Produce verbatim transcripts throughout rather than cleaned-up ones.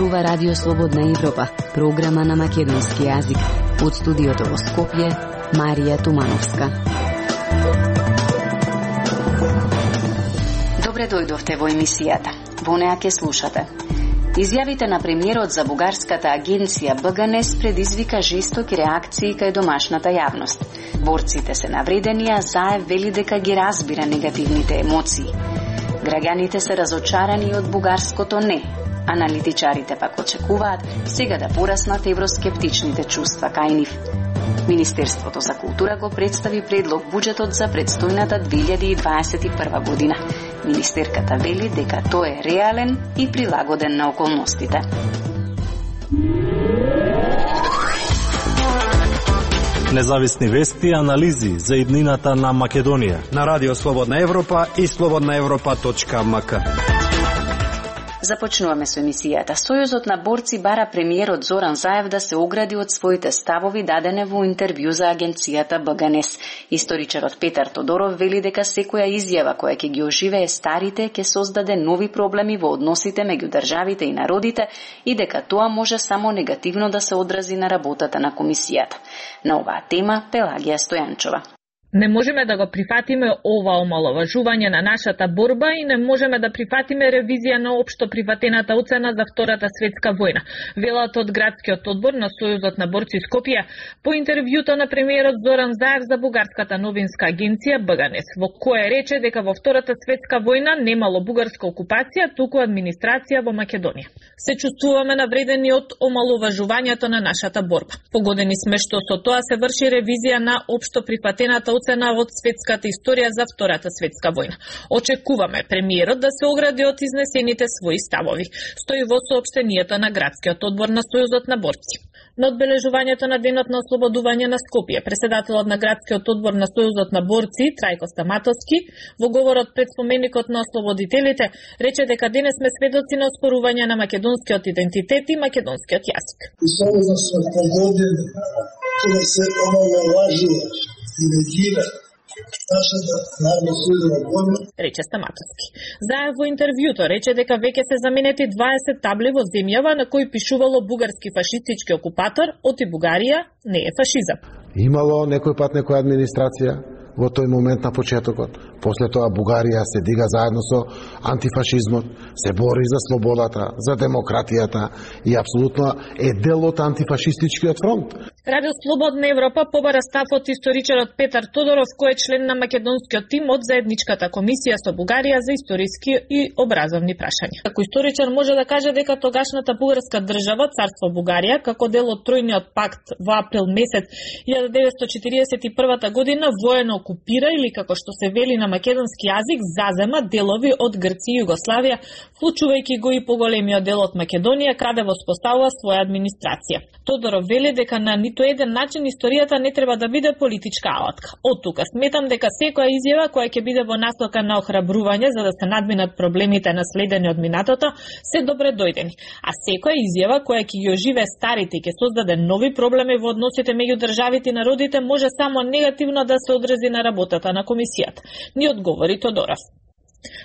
зборува Радио Слободна Европа, програма на македонски јазик. Од студиото во Скопје, Марија Тумановска. Добре дојдовте во емисијата. Во неа ќе слушате. Изјавите на премиерот за бугарската агенција Б Г Н Е С предизвика жестоки реакции кај домашната јавност. Борците се навредени, а Заев вели дека ги разбира негативните емоции. Граѓаните се разочарани од бугарското не. Аналитичарите пак очекуваат сега да пораснат евроскептичните чувства кај нив. Министерството за култура го представи предлог буџетот за предстојната две илјади и дваесет и прва година. Министерката вели дека тој е реален и прилагоден на околностите. Независни вести и анализи за иднината на Македонија на Радио Слободна Европа и слободна европа точка м к. Започнуваме со емисијата. Сојузот на борци бара премиерот Зоран Заев да се огради од своите ставови дадене во интервју за агенцијата Б Г Н Е С. Историчарот Петар Тодоров вели дека секоја изјава која ќе ги оживее старите ќе создаде нови проблеми во односите меѓу државите и народите и дека тоа може само негативно да се одрази на работата на комисијата. На оваа тема Пелагија Стојанчова. Не можеме да го прифатиме ова омаловажување на нашата борба и не можеме да прифатиме ревизија на општо прифатената оцена за Втората светска војна, велат од градскиот одбор на Сојузот на борци Скопје по интервјуто на премиерот Зоран Заев за бугарската новинска агенција Б Г Н Е С, во кое рече дека во Втората светска војна немало бугарска окупација, туку администрација во Македонија. Се чувствуваме навредени од омаловажувањето на нашата борба. Погодени сме што со тоа се врши ревизија на општо прифатената оцена од светската историја за Втората светска војна. Очекуваме премиерот да се огради од изнесените своји ставови, стои во соопштението на градскиот одбор на Сојузот на борци. На одбележувањето на денот на ослободување на Скопје, преседателот на градскиот одбор на Сојузот на борци Трајко Стаматовски во говорот пред споменикот на ослободителите рече дека денес сме сведоци на оспорување на македонскиот идентитет и македонскиот јазик. И Сојузот се погодени да се омаловажува и негира нашата народна борба, рече Стаматовски. Заев во интервјуто рече дека веќе се заменети дваесет табли во земјава на кои пишувало бугарски фашистички окупатор, оти Бугарија не е фашизам. Имало некој пат некоја администрација во тој момент на почетокот. После тоа Бугарија се дига заедно со антифашизмот, се бори за слободата, за демократијата и апсолутно е дел од антифашистичкиот фронт. Радио Слободна Европа побара став од историчарот Петар Тодоров, кој е член на македонскиот тим од заедничката комисија со Бугарија за историски и образовни прашања. Како историчар може да каже дека тогашната бугарска држава, царство Бугарија, како дел од Тројниот пакт во април месец илјада деветстотини четиридесет и прва година воено окупира или како што се вели на македонски јазик зазема делови од Грција и Југославија, вклучувајќи го и поголемиот дел од Македонија, каде воспоставува своја администрација. Тодоров вели дека на ниту еден начин историјата не треба да биде политичка алатка. Од тука сметам дека секоја изјава која ќе биде во насока на охрабрување за да се надминат проблемите наследени од минатото се добре дојдени, а секоја изјава која ќе ги оживе старите и ќе создаде нови проблеми во односите меѓу државите и народите може само негативно да се одрази на работата на комисијата, ни одговори Тодоров.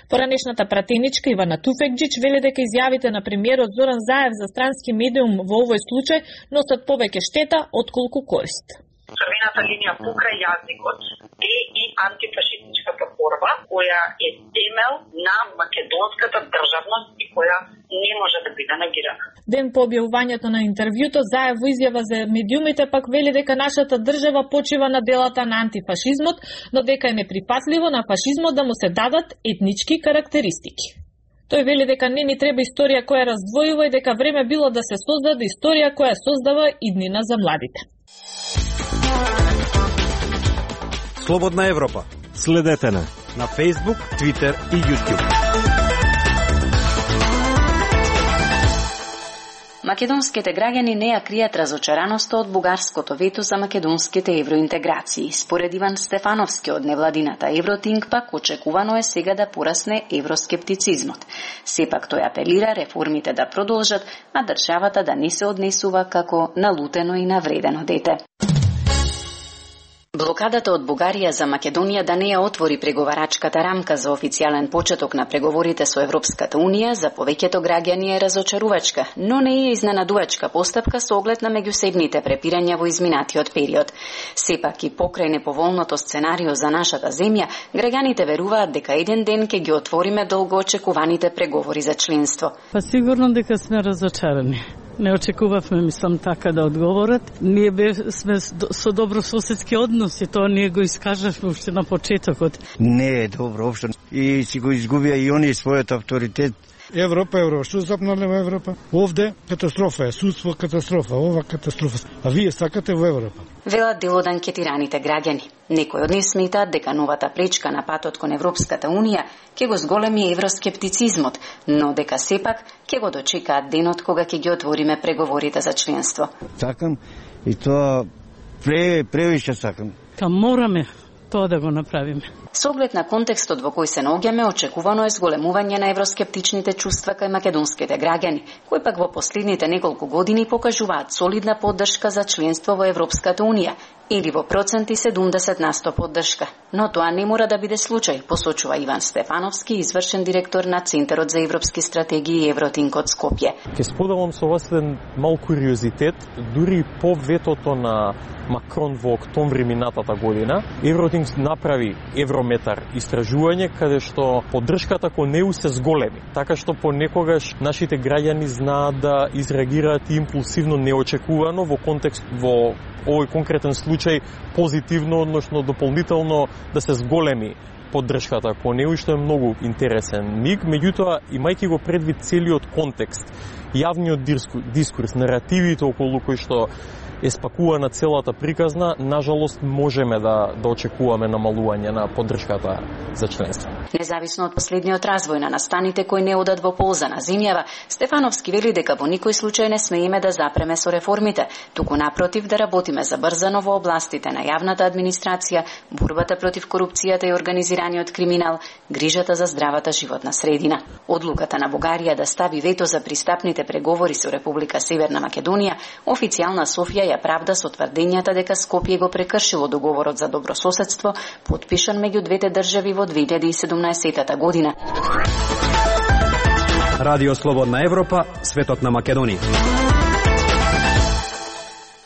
Поранешната пратеничка Ивана Туфекџич вели дека изјавите на премиерот Зоран Заев за странски медиум во овој случај носат повеќе штета отколку корист. Црвената линија покрај јазикот е и антифашистичката борба, која е темел на македонската државност и која не може да биде негирана. Ден по објавувањето на интервјуто, Заев во изјава за медиумите пак вели дека нашата држава почива на делата на антифашизмот, но дека е неприфатливо на фашизмот да му се дадат етнички карактеристики. Тој вели дека не ни треба историја која раздвојува и дека време било да се создаде историја која создава иднина за младите. Слободна Европа. Следете на на Facebook, Twitter и YouTube. Македонските граѓани не ја кријат разочараноста од бугарското вето за македонските евроинтеграции. Според Иван Стефановски од невладината Евротинг пак очекувано е сега да порасне евроскептицизмот. Сепак тој апелира реформите да продолжат, а државата да не се однесува како налутено и навредено дете. Блокадата од Бугарија за Македонија да не ја отвори преговарачката рамка за официјален почеток на преговорите со Европската Унија за повеќето граѓани е разочарувачка, но не е изненадувачка постапка со оглед на меѓусебните препирања во изминатиот период. Сепак и покрај неповолното сценарио за нашата земја, граѓаните веруваат дека еден ден ќе ги отвориме долго очекуваните преговори за членство. Па сигурно дека сме разочарани. Не очекувавме, мислам, така да одговорат. Ние бе, сме со добрососедски односи, тоа ние го искажавме уште на почетокот. Не е добро општо и си го изгубија и они својот авторитет. Европа, Европа, што запнале во Европа? Овде катастрофа е, судство катастрофа, ова катастрофа. А вие сакате во Европа? Велат дел од анкетираните граѓани. Некои од нив сметаат дека новата пречка на патот кон Европската Унија ќе го зголеми евроскептицизмот, но дека сепак ќе го дочекаат денот кога ќе ги отвориме преговорите за членство. Сакам и тоа пре, превише сакам. Ка мораме тоа да го направиме. Со оглед на контекстот во кој се наоѓаме, очекувано е зголемување на евроскептичните чувства кај македонските граѓани, кои пак во последните неколку години покажуваат солидна поддршка за членство во Европската Унија, или во проценти седумдесет на сто поддршка. Но тоа не мора да биде случај, посочува Иван Стефановски, извршен директор на Центарот за европски стратегии Евротинк од Скопје. Ке споделам со вас еден мал куриозитет, дури по ветото на Макрон во октомври минатата година, Евротинк направи Еврометар истражување каде што поддршката кон ЕУ се зголеми, така што понекогаш нашите граѓани знаат да изреагираат импулсивно, неочекувано во контекст во овој конкретен случај позитивно, односно дополнително да се зголеми поддршката кон ЕУ, што е многу интересен миг. Меѓутоа, имајќи го предвид целиот контекст, јавниот дискурс, наративите околу кои што е спакувана целата приказна, нажалост можеме да, да очекуваме намалување на поддршката за членство. Независно од последниот развој на настаните кои не одат во полза на земјава, Стефановски вели дека во никој случај не смееме да запреме со реформите, туку напротив да работиме забрзано во областите на јавната администрација, борбата против корупцијата и организираниот криминал, грижата за здравата животна средина. Одлуката на Бугарија да стави вето за пристапните преговори со Република Северна Македонија, официјална Софија ја правда со тврдењата дека Скопје го прекршило договорот за добрососедство, потпишан меѓу двете држави во две илјади и седумнаесетта година. Радио Слободна Европа, светот на Македонија.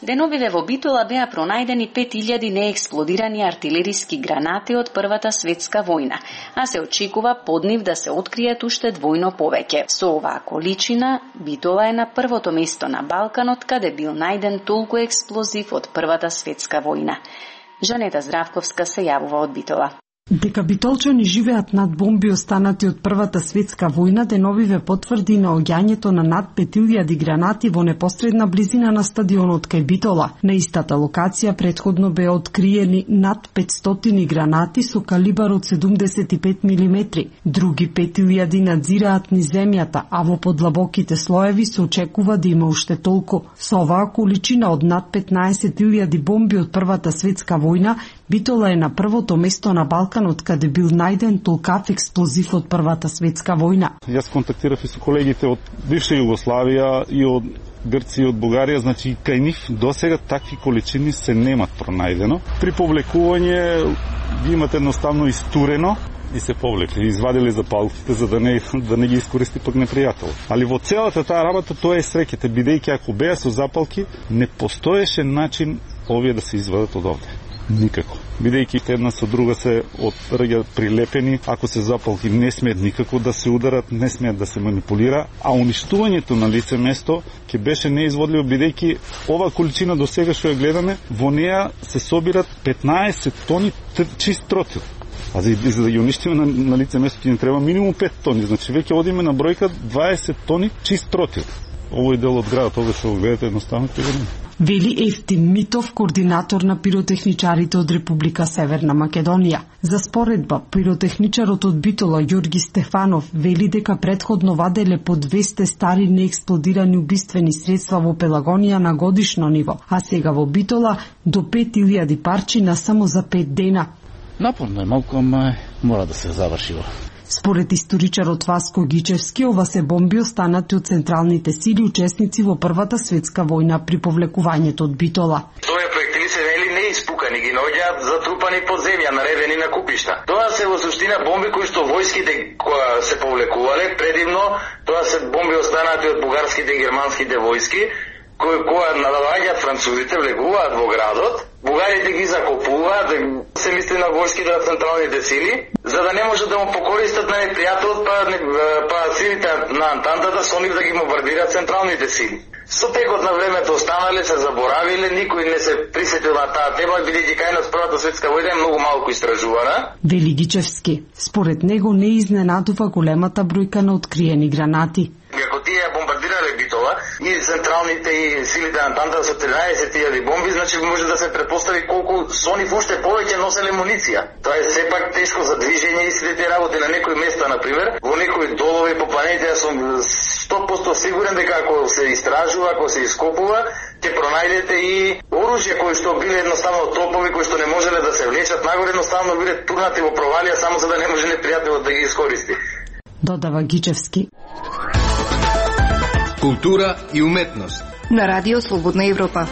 Деновиве во Битола беа пронајдени пет илјади неексплодирани артилериски гранати од Првата светска војна, а се очекува под нив да се откријат уште двојно повеќе. Со оваа количина, Битола е на првото место на Балканот каде бил најден толку експлозив од Првата светска војна. Жанета Здравковска се јавува од Битола. Дека битолчани живеат над бомби останати од Првата светска војна, деновиве потврди наоѓањето на над пет илјади гранати во непосредна близина на стадионот кај Битола. На истата локација претходно беа откриени над петстотини гранати со калибар од седумдесет и пет милиметри. Други пет илјади надзираат низ земјата, а во подлабоките слоеви се очекува да има уште толку. Со оваа количина од над петнаесет илјади бомби од Првата светска војна, Битола е на првото место на Балканот каде бил најден толкав експлозив од Првата светска војна. Јас контактирав и со колегите од бивша Југославија и од Грција и од Бугарија, значи кај нив досега такви количини се немат пронајдено. При повлекување ги имате едноставно истурено и се повлекли, извадили запалките за да не да не ги искористи пак непријател. Али во целата таа работа тоа е среќата, бидејќи ако беа со запалки, не постоеше начин овие да се извадат од овде. Никако. Бидејќи една со друга се отраѓаат прилепени, ако се запалки не смеат никако да се ударат, не смеат да се манипулира, а уништувањето на лице место ќе беше неизводливо, бидејќи ова количина до сега што ја гледаме, во неа се собират петнаесет тони чист тротил. А за, за да ги уништиме на, на лице место ќе ни треба минимум пет тони, значи веќе одиме на бројка дваесет тони чист тротил. Овој дел од градот, ова што го гледате, едноставно ќе го Вели Ефтим Митов, координатор на пиротехничарите од Република Северна Македонија. За споредба, пиротехничарот од Битола Ѓорги Стефанов вели дека претходно ваделе по двесте стари неексплодирани убиствени средства во Пелагонија на годишно ниво, а сега во Битола до пет илјади парчина само за пет дена. Напорно е малку, ама мора да се заврши. Според историчарот Васко Гичевски, ова се бомби останати од централните сили учесници во Првата светска војна при повлекувањето од Битола. Тоа е проектили се вели не испукани, ги наоѓаат затрупани под земја, наредени на купишта. Тоа се во суштина бомби кои што војските кои се повлекувале, предивно тоа се бомби останати од бугарските и германските војски, кои кога налагаат французите, влегуваат во градот, бугарите ги закопуваат, се мисли на војските на централните сили, за да не можат да му покористат на непријателот, па, па силите на Антантата со нив да ги бомбардираат централните сили. Со текот на времето останале, се заборавиле, никој не се присетил на таа тема, бидејќи кај нас Првата светска војна е многу малку истражувана. Вели Гичевски. Според него не изненадува големата бројка на откриени гранати. Ако тие бомбардирале Битола и централните и силите на Антантата со тринаесет илјади бомби, значи може да се претпостави колку со нив уште повеќе носеле муниција. Тоа е сепак тешко за движење и сите тие работи на некои места, например, во некои долови по планините, јас сум сто проценти сигурен дека ако се истражува, ако се ископува, ќе пронајдете и оружје кои што биле едноставно топови, кои што не можеле да се влечат нагоре, едноставно биле турнати во провалија само за да не може непријателот да ги искористи. Додава Гичевски. Култура и уметност на Радио Слободна Европа.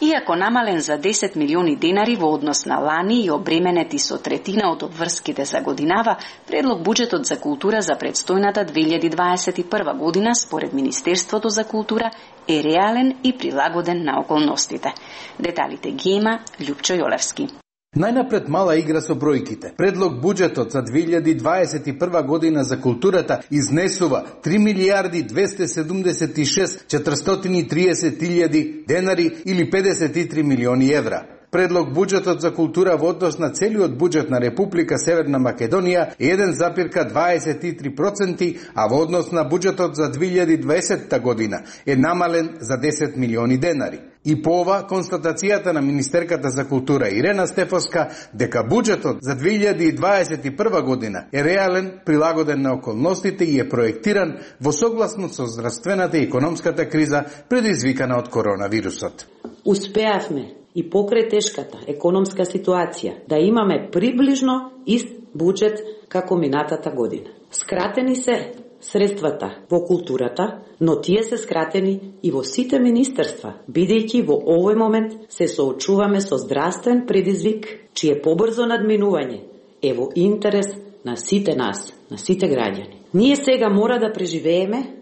Иако намален за десет милиони денари во однос на лани и обременети со третина од обврските за годинава, предлог буџетот за култура за предстојната две илјади дваесет и прва година според Министерството за култура е реален и прилагоден на околностите. Деталите ги има Љупчо Јолевски. Најнапред мала игра со бројките. Предлог буџетот за две илјади дваесет и прва година за културата изнесува три милијарди двесте седумдесет и шест четиристотини и триесет илјади денари или педесет и три милиони евра. Предлог буџетот за култура во однос на целиот буџет на Република Северна Македонија е еден запирка дваесет и три проценти, а во однос на буџетот за две илјади дваесетта година е намален за десет милиони денари. И по ова, констатацијата на Министерката за култура Ирена Стефовска дека буџетот за две илјади дваесет и прва година е реален, прилагоден на околностите и е проектиран во согласност со здравствената и економската криза предизвикана од коронавирусот. Успеавме и покрај тешката економска ситуација да имаме приближно ист буџет како минатата година. Скратени се средствата во културата, но тие се скратени и во сите министерства, бидејќи во овој момент се соочуваме со здравствен предизвик, чие побрзо надминување е во интерес на сите нас, на сите граѓани. Ние сега мора да преживееме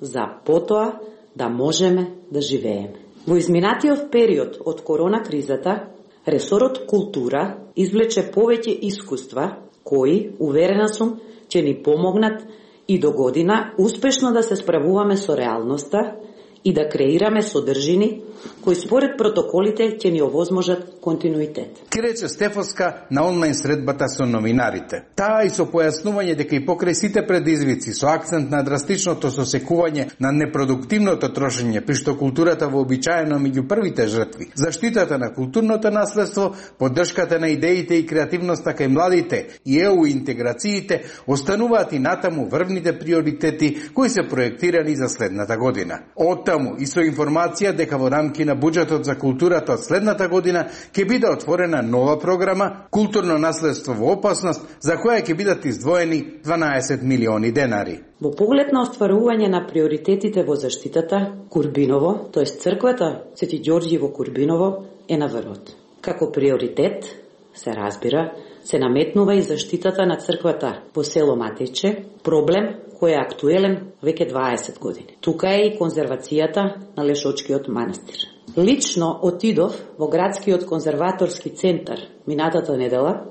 за потоа да можеме да живееме. Во изминатиот период од корона кризата, ресорот култура извлече повеќе искуства кои, уверена сум, ќе ни помогнат и до година успешно да се справуваме со реалноста и да креираме содржини кои според протоколите ќе ни овозможат континуитет. Ки рече Стефовска на онлайн средбата со новинарите. Таа и со појаснување дека и покрај сите предизвици со акцент на драстичното сосекување на непродуктивното трошење, при што културата вообичаено меѓу првите жртви, заштитата на културното наследство, поддршката на идеите и креативноста кај младите и е у интеграциите остануваат и натаму врвните приоритети кои се проектирани за следната година. Оттаму и со информација дека во рамки на буџетот за културата од следната година ќе биде отворена нова програма Културно наследство во опасност, за која ќе бидат издвоени дванаесет милиони денари. Во поглед на остварување на приоритетите во заштитата, Курбиново, тоест црквата Свети Ѓорѓи во Курбиново, е на врвот. Како приоритет, се разбира, се наметнува и заштитата на црквата во село Матејче, проблем кој е актуелен веќе дваесет години. Тука е и конзервацијата на Лешочкиот манастир. Лично отидов во градскиот конзерваторски центар минатата недела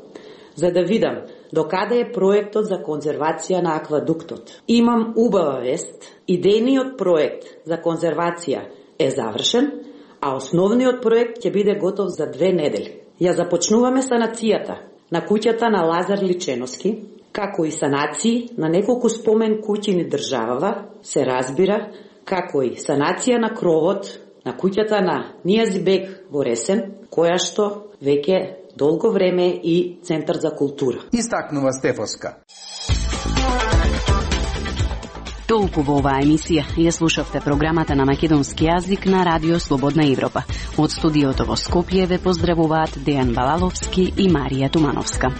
за да видам докаде е проектот за конзервација на аквадуктот. Имам убава вест, идејниот проект за конзервација е завршен, а основниот проект ќе биде готов за две недели. Ја започнуваме санацијата на куќата на Лазар Личеновски, како и санации на неколку спомен куќи ни државава, се разбира, како и санација на кровот на куќата на Нијазибек во Ресен, која што веќе долго време и Центар за култура. Истакнува Стефовска. Толку во оваа емисија. Ја слушавте програмата на македонски јазик на Радио Слободна Европа. Од студиото во Скопје ве поздравуваат Дејан Балаловски и Марија Тумановска.